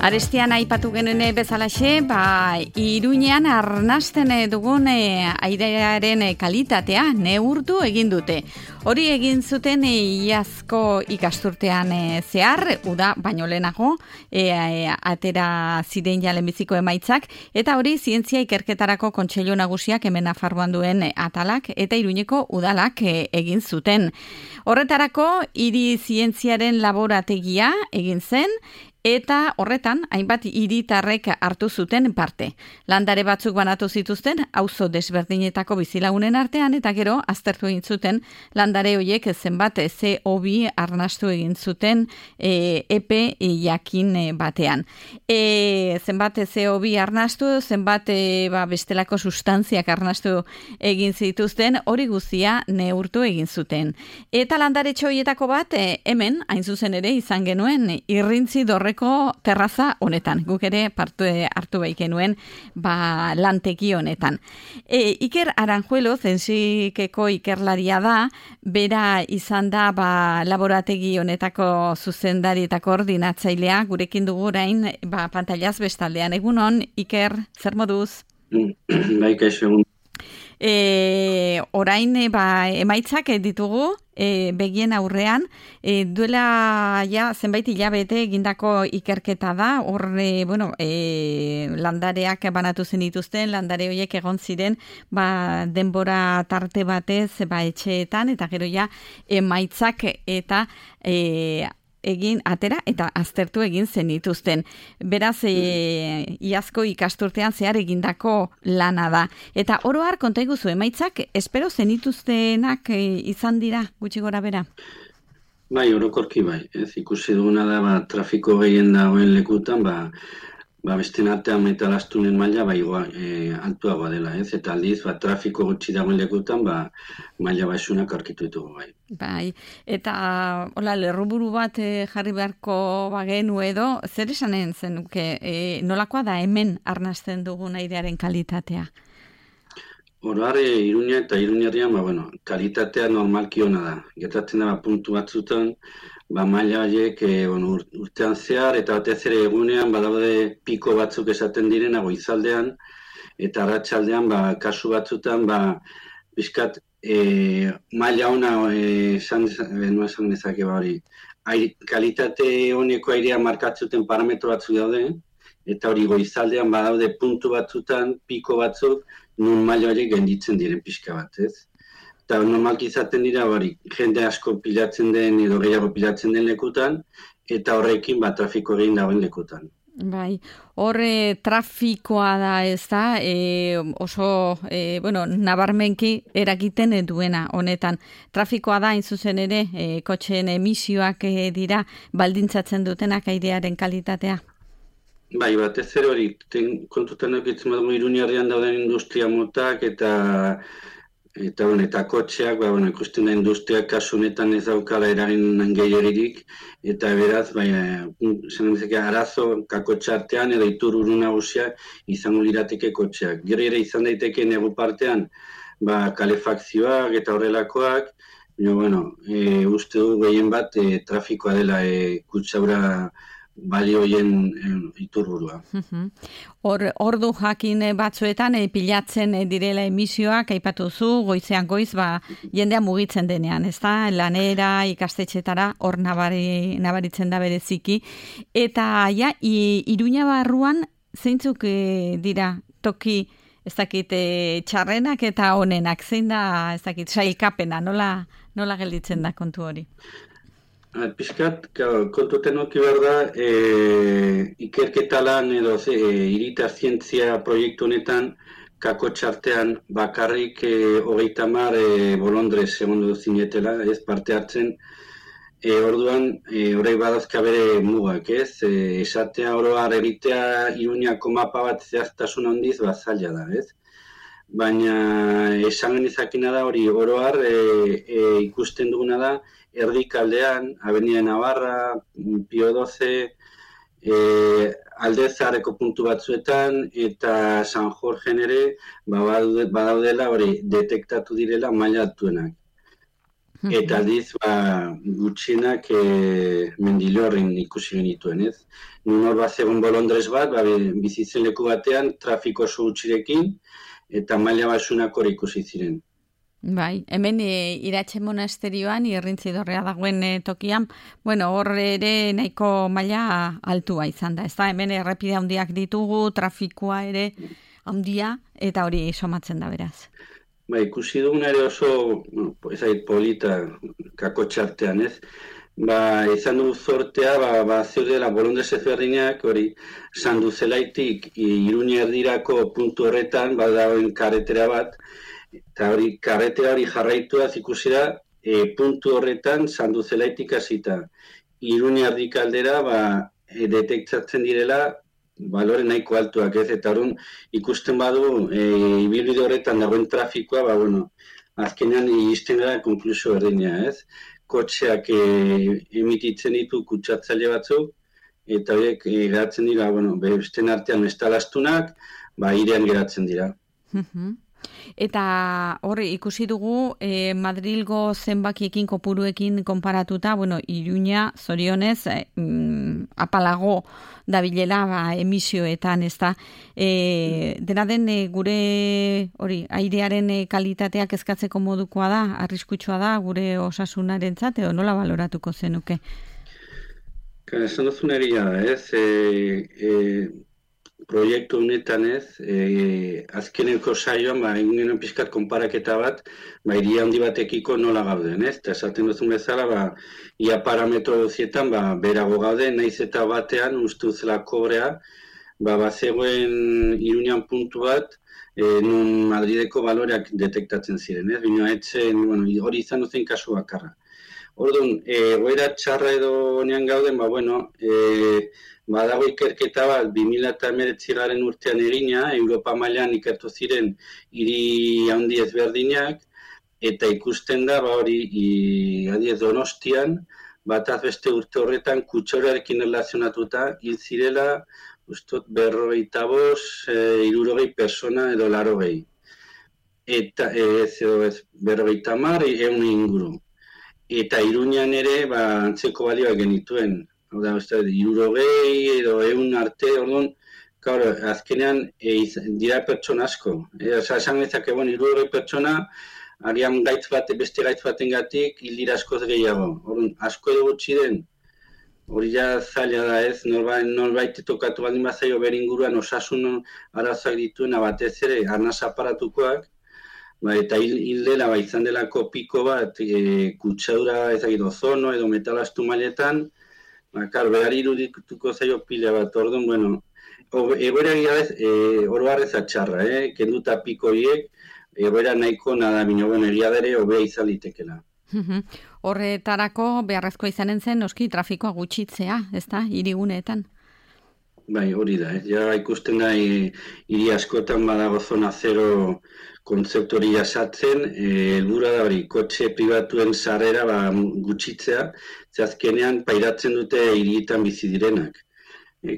Arestian aipatu genuen bezalaxe, Iruñean arnasten dugun airearen kalitatea neurtu egin dute. Hori egin zuten iazko ikasturtean zehar, uda baino lehenago, atera ziren ja lehenbiziko emaitzak, eta hori zientzia ikerketarako kontseilu nagusiak hemen Nafarroan duen atalak eta Iruñeko udalak egin zuten. Horretarako hiri zientziaren laborategia egin zen, eta horretan, hainbat hiritarrek hartu zuten parte. Landare batzuk banatu zituzten, auzo desberdinetako bizilagunen artean, eta gero, aztertu egin zuten, landare horiek zenbat CO2 arnastu egin zuten epe jakin batean. Zenbat CO2 arnastu, zenbat bestelako sustantziak arnastu egin zituzten, hori guztia neurtu egin zuten. Eta landare txoietako bat, hemen, hain zuzen ere, izan genuen, irrintzi dorreko terraza honetan. Guk ere hartu bai genuen lantegi honetan. Iker Aranjuelo, zensikeko ikerlaria da, bera izan da laborategi honetako zuzendari eta koordinatzailea, gurekin dugu orain pantailaz bestaldean. Egunon, Iker, zer moduz? Bai, kaixo egun. Orain emaitzak ditugu begien aurrean, duela zenbait hilabete egindako ikerketa da, hor landareak banatu zen dituzten, landare horiek egon ziren denbora tarte batez etxeetan, eta gero emaitzak eta egin atera eta aztertu egin zenituzten. Beraz, iazko ikasturtean zehar egindako lana da. Eta oro har konta iguzu emaitzak, espero zenituztenak izan dira, gutxi gora bera? Bai, orokorki bai. Ez ikusi duguna da, trafiko gehien dagoen lekutan, beste artean metalaztunen maila altuagoa dela, ez? Eta aldiz, trafiko gutxi dagoen lekutan, maila baixunak aurkitu ditugu bai. Bai, eta lerruburu bat jarri beharko bagenu edo, zer esanen zenuke, nolakoa da hemen arnasten dugun airearen kalitatea? Oroar, Iruña eta Iruñerrian, kalitatea normalki ona da. Gertatzen da, puntu batzutan, maila horiek urtean zehar, eta batez ere egunean, badaude piko batzuk esaten direna goizaldean, eta arratsaldean, kasu batzutan, bizkat, maila ona esan dezake hori. Kalitate honeko airea markatzuten parametro batzuk daude, eta hori goizaldean badaude puntu batzutan, piko batzuk, nun maila horiek genditzen diren pixka bat, ez? Eta normalki izaten dira, jende asko pilatzen den edo gehiago pilatzen den lekutan, eta horrekin trafiko egin dagoen lekutan. Bai, horre trafikoa da ez da, oso, nabarmenki eragiten duena honetan. Trafikoa da, hain zuzen ere, kotxeen emisioak dira, baldintzatzen dutenak airearen kalitatea. Bai, batez ere hori, kontutan eukitzen badugu Iruñerrian dauden industria motak eta kotxeak, ikusten da industriak kasu honetan ez daukala eragin gehiagirik, eta beraz, arazo kakotxe artean edo itururu nagusia izango lirateke kotxeak. Gero ere izan daiteke negu partean, kalefakzioak eta horrelakoak, uste du gehien bat trafikoa dela kutsaura balioien iturburua. Ordu jakin batzuetan pilatzen direla emisioak, aipatu zu, goizean goiz, jendea mugitzen denean, ez da, lanera, ikastetxetara, hor nabaritzen da bereziki. Eta Iruña barruan, zeintzuk dira toki, ez dakit, txarrenak eta onenak, zein da, ez dakit, sailkapena, nola gelditzen da kontu hori? Piskat, kontuten oki behar da, ikerketa lan edo hiritar zientzia proiektu honetan, kakotxartean bakarrik 30 bolondrez egon zinetela, ez parte hartzen, orduan, horrek badazka bere mugak, ez? Esatea oroar egitea Iruñako mapa bat zehaztasun handiz, zaila da, ez? Baina esan genizakina da hori oroar ikusten duguna da, erdikaldean, Avenida Navarra, Pio XII, Aldezarreko puntu batzuetan eta San Jorgen ere badaudela hori detektatu direla maila altuenak. Eta aldiz, gutxienak Mendilorrin ikusi genituen, ez? Nun hor bat zegoen bolondrez bat, bizitzen leku batean, trafiko oso gutxirekin, eta maila basunak hor ikusi ziren. Bai, hemen Iratxe monasterioan, Irrintzidorrea dagoen tokian, bueno, hor ere nahiko maila altua izan da, ez da, hemen errepide handiak ditugu, trafikoa ere handia, eta hori somatzen da beraz. Ikusi duguna ere oso, ezait polita kakotxartean, ez? Izan dugu zortea, zeudela bolondrez ezberdinak, hori, Sanduzelaitik Iruña erdirako puntu horretan, dagoen karretera bat, eta hori, karretera hori jarraituaz ikusi da, puntu horretan Sanduzelaitik hasita. Iruña erdik aldera, detektatzen direla, balore nahiko altuak, ez? Eta horren ikusten badu, ibilbide horretan dagoen trafikoa, azkenean izten gara konklusio berdina, ez? Kotxeak emititzen ditu kutsatzaile batzuk, eta horiek geratzen dira, besten artean estalastunak, irean geratzen dira. Eta hori ikusi dugu Madrilgo zenbakiekin kopuruekin konparatuta, Iruña zorionez apalago dabilela emisioetan, ezta. Dena den gure hori airearen kalitateak eskatzeko modukoa da, arriskutsua da gure osasunarentzat edo nola baloratuko zenuke? Esan duzun egia da, ez? Proiektu honetan ez, azkeneko saioan, egin genuen pixkat konparaketa bat, iria handi batekiko nola gauden, ez? Eta esaten duzun bezala, ia parametro guzietan, berago gauden, naiz eta batean, ustuzela kobrea, bazegoen Iruñan puntu bat, nun Madrideko baloreak detektatzen ziren, ez? Bino etzen, hori izan duzen kasu bakarra. Orduan, goera txarra edo nean gauden, badago ikerketa bat 2019 urtean egina, Europa mailan ikertu ziren hiri handi ezberdinak, eta ikusten da, adiez Donostian, bataz beste urte horretan kutsaurarekin erlazionatuta hil zirela, ustot 45, 60 persona edo 80. Eta ez 50, 100 inguru. Eta Iruñan ere, antzeko balioak genituen. Hau da, 60 edo 100 arte, orduan, azkenean dira pertsona asko. Esan ezak, 60 pertsona, arian beste gaitz batengatik hil dira askoz gehiago. Orduan, asko edo gutxi den, hori ja zaila da ez, norbait tokatu baldin bazaio beringuruan osasun arazoak dituena batez ere, arnaz aparatukoak, eta hil dela, izan delako piko bat, kutsadura ezagit ozono edo metalastu mailetan, berari irudituko zaio pila bat, orduan, egoera oro harrez atxarra, kenduta piko hiek, egoera nahiko nada, egia dere, hobea izan litekela. Horretarako beharrezko izanen zen, noski trafikoa gutxitzea, ezta, hiriguneetan? Hori da, ja ikusten da, hiri askotan badago zona zero kontzeptu hori jasatzen, helburua da hori, kotxe pribatuen sarrera gutxitzea, ze azkenean pairatzen dute hirietan bizi direnak.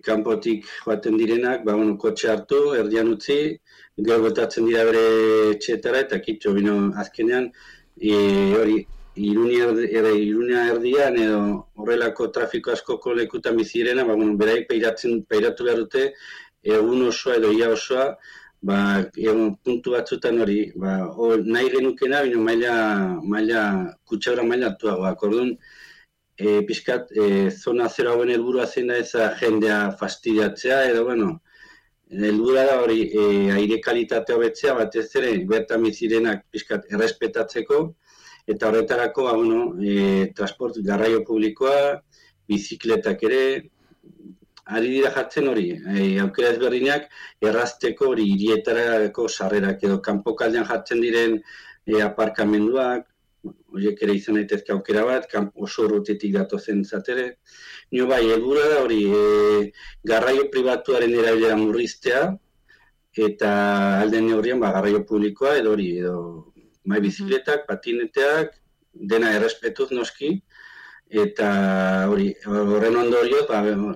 Kanpotik joaten direnak, kotxe hartu, erdian utzi, gero botatzen dira bere etxeetara, eta kitxo, azkenean, hori, Iruña erdian edo horrelako trafiko askoko lekutan bizi direna, beraik pairatu behar dute, egun osoa edo ia osoa, puntu batzutan hori, nahi genukena, kutsadura maila altuagoak. Orduan, pixkat, zona zero hauen helburua zein da eza jendea fastidiatzea, edo, helburua da hori, aire kalitatea hobetzea, batez ere, bertan bizirenak pixkat errespetatzeko, eta horretarako, transport, garraio publikoa, bizikletak ere, ari dira jartzen hori, aukera ezberdinak, errazteko hori hirietarako sarrerak edo kanpokaldean jartzen diren aparkamenduak, horiek ere izan daitezke aukera bat, oso urrutetik datozen zatere. Helburua da hori, garraio pribatuaren erabilera murriztea, eta alden neurrian garraio publikoa edo hori, bizikletak, patineteak, dena errespetuz noski, eta horren ondorioz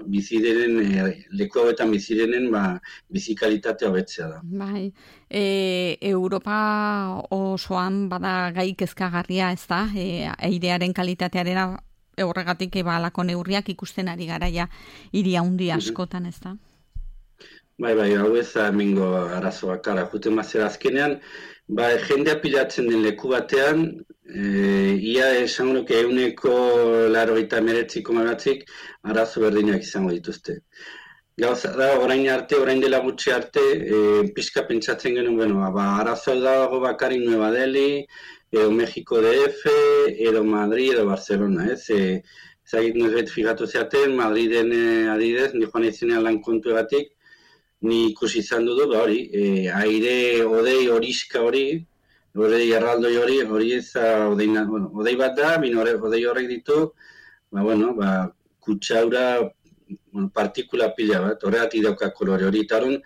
bizi diren leku hauetan bizi direnen bizikalitatea hobetzea da. Bai, Europa osoan bada gai kezkagarria, ez da? Airearen kalitatearen horregatik halako neurriak ikusten ari gara ja hiri handi askotan, ez da? Bai, hau ez da hemengo arazo bakarra. Juten bazera azkenean, jendea pilatzen den leku batean, ia esango nuke 99,9% arazo berdinak izango dituzte. Gauza da, orain dela gutxi arte, pixka pentsatzen genuen, arazo dago bakarrik Nueva Delhi, edo Mexiko DF, edo Madrid, edo Barcelona, ez? Zagit nuzbet figatu zeaten, Madriden adidez, ni joan izenean lan kontuegatik, ni ikusi izan dudu, aire, odei, horiska hori, odei erraldoi hori ez odei bat da, odei horrek ditu, kutsaura, partikula pila bat, horregatik dauka kolore hori, eta horren,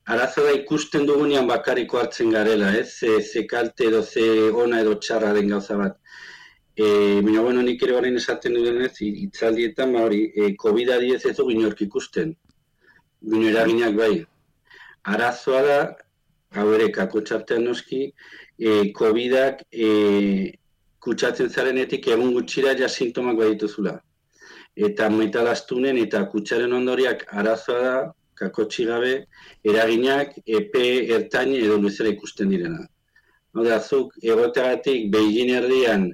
arazo da ikusten dugunean bakariko hartzen garela, ez? Ze kalte edo ze ona edo txarra den gauza bat. Nik ere horrein esaten dudenez, itzaldietan, COVID-19 ez dugu inork ikusten. Bino eraginak bai. Arazoa da, hau ere, kakotxartean noski, COVID-ak kutsatzen zarenetik egun gutxira ja sintomak badituzula. Eta metalaztunen eta kutsaren ondoriak arazoa da, kakotxi gabe, eraginak epe ertain edo luzera ikusten direna. Zuk egoteagatik Beijing erdian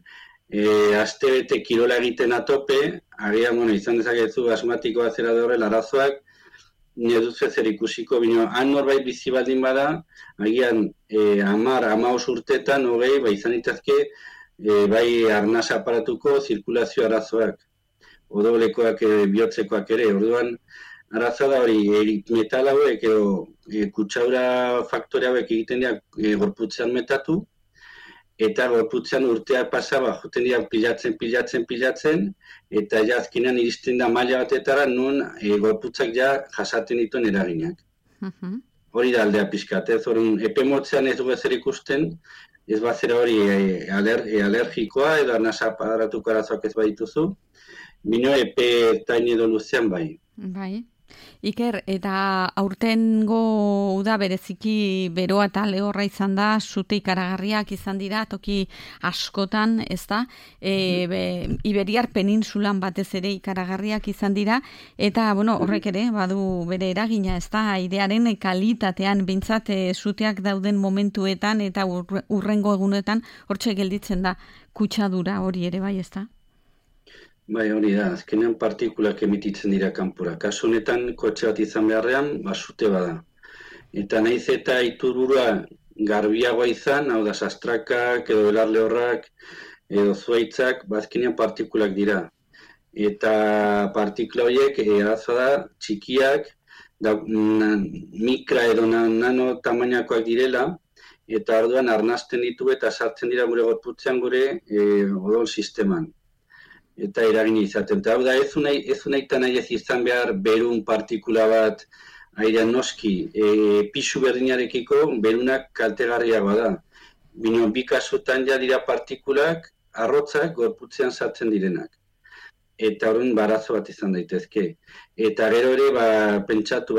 astebete kirola egiten atope, agian izan dezakezu asmatikoa zera horrela arazoak, nire duz ezer ikusiko, bino han norbait bizi baldin bada, agian 10-15 urtetan, izan ditazke, bai arnasa aparatuko zirkulazio arazoak, odoblekoak, bihotzekoak ere, orduan, arazoa da hori, metal hauek edo kutsaura faktore hauek egiten dira gorputzean metatu, eta gorputzean urtea pasaba, joten dira pilatzen, eta ja azkenean iristen da maila batetara, nun gorputzak ja jasaten dituen eraginak. Hori da aldea pixkat, ez hori epe motzean ez dugu ezer ikusten, ez bazera hori alergikoa edo arnasa aparatuko arazoak ez badituzu, bino epe tain edo luzean bai. Bai. Iker, eta aurtengo uda bereziki beroa eta lehorra izan da, sute ikaragarriak izan dira, toki askotan, ez da? Iberiar penintsulan batez ere ikaragarriak izan dira, eta, horrek ere, badu bere eragina, ez da? Airearen kalitatean, bintzat, suteak dauden momentuetan, eta urrengo egunetan, hortxe gelditzen da, kutsadura hori ere, bai, ez da? Bai, hori da, azkenean partikulak emititzen dira kanpora. Kasu honetan, kotxe bat izan beharrean, sute bada. Eta nahiz eta iturburua garbiagoa izan, hau da, sastrakak, edo belarlehorrak, edo zuaitzak, azkenean partikulak dira. Eta partikula horiek, arazoa da, txikiak, mikra edo nano tamainakoak direla, eta orduan arnasten ditu eta sartzen dira gure gorputzean gure odol sisteman. Eta eragina izaten. Eta hau da, ez unaitan nahi ez izan behar berun partikula bat airean noski, pisu berdinarekiko berunak kaltegarriagoa da. Bino, bi kasutan ja dira partikulak, arrotzak gorputzean sartzen direnak. Eta horren barazo bat izan daitezke. Eta gero ere, pentsatu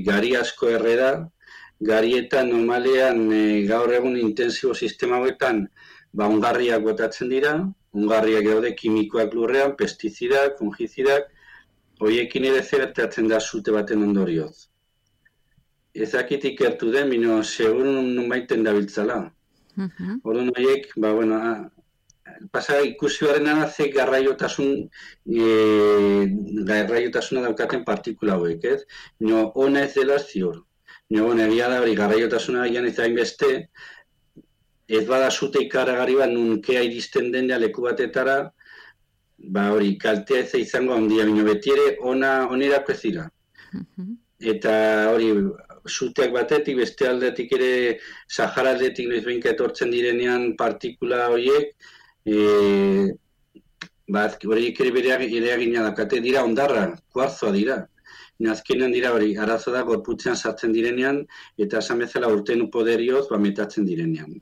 gari asko erre da, garietan normalean gaur egun intensibo sistema hauetan ongarriak botatzen dira, ongarriak daude kimikoak lurrean, pestizidak, fungizidak, horiekin ere zertatzen da sute baten ondorioz. Ezakit ikertu den, bino segurun nunbaiten dabiltzala. Orduan horiek, pasa ikusi barren ze garraiotasuna daukaten partikula hauek, ez? Bino, ona ez dela ziur. Bino, egia da hori garraiotasuna egian ez hainbeste, ez bada sute ikaragarri bat nunkea iristen den leku batetara, hori kaltea ez izango handia, bino beti ere onerako ez dira. Eta hori suteak batetik, beste aldetik ere Sahara aldetik noizbeinka etortzen direnean partikula horiek, horiek ere bere eragina dakate dira ondarra, kuarzoa dira. Azkenean dira hori, arazo da gorputzean sartzen direnean, eta esan bezala urten poderioz metatzen direnean.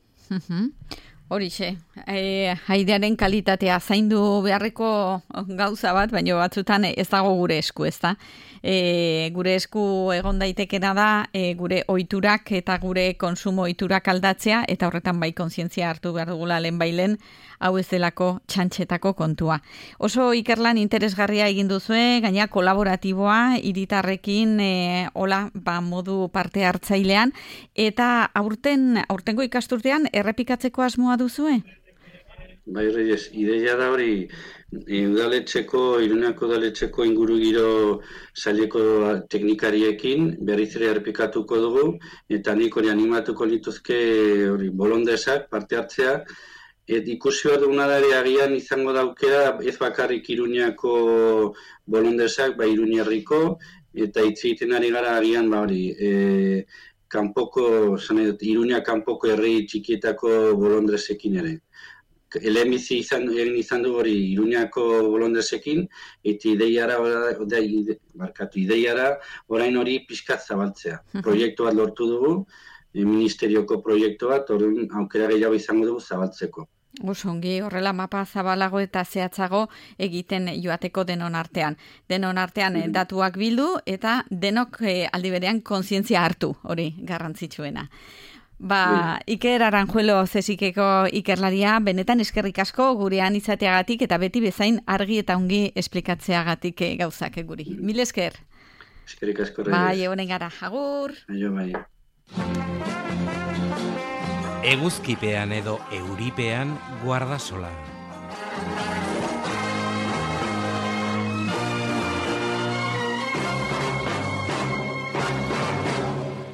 Horixe, airearen kalitatea zaindu beharreko gauza bat, baina batzutan ez dago gure esku, ezta? Gure esku egon daitekena da gure ohiturak eta gure konsumo ohiturak aldatzea, eta horretan bai kontzientzia hartu behar dugula lehenbailen, hau ez delako txantxetako kontua. Oso ikerlan interesgarria egin duzue, gaina kolaboratiboa, hiritarrekin modu parte hartzailean, eta aurtengo ikasturtean errepikatzeko asmoa duzue? Bai, Reyes, ideia da hori, Iruñako udaletxeko ingurugiro saileko teknikariekin berriz ere errepikatuko dugu, eta nik hori animatuko lituzke hori bolondesak parte hartzea, ikusi bat duguna da ere agian izango daukera ez bakarrik Iruñako bolondesak, Iruñerriko, eta hitz egiten ari gara agian Iruña kanpoko herri txikietako bolondresekin ere. Lehenbizi izan du hori Iruñako bolondresekin, eta ideiara orain hori pixkat zabaltzea. Proiektu bat lortu dugu, ministerioko proiektu bat, aukera gehiago izango dugu zabaltzeko. Osongi, horrela mapa zabalago eta zehatzago egiten joateko denon artean. Denon artean datuak bildu eta denok aldi berean kontzientzia hartu, hori garrantzitsuena. Iker Aranjuelo Zesikeko ikerlaria, benetan eskerrik asko gurean izateagatik eta beti bezain argi eta ongi esplikatzeagatik gauzak guri. Mil esker. Eskerrik asko, Reyes. Bai, egonen gara. Agur. Bai. Eguzkipean edo euripean guardasola.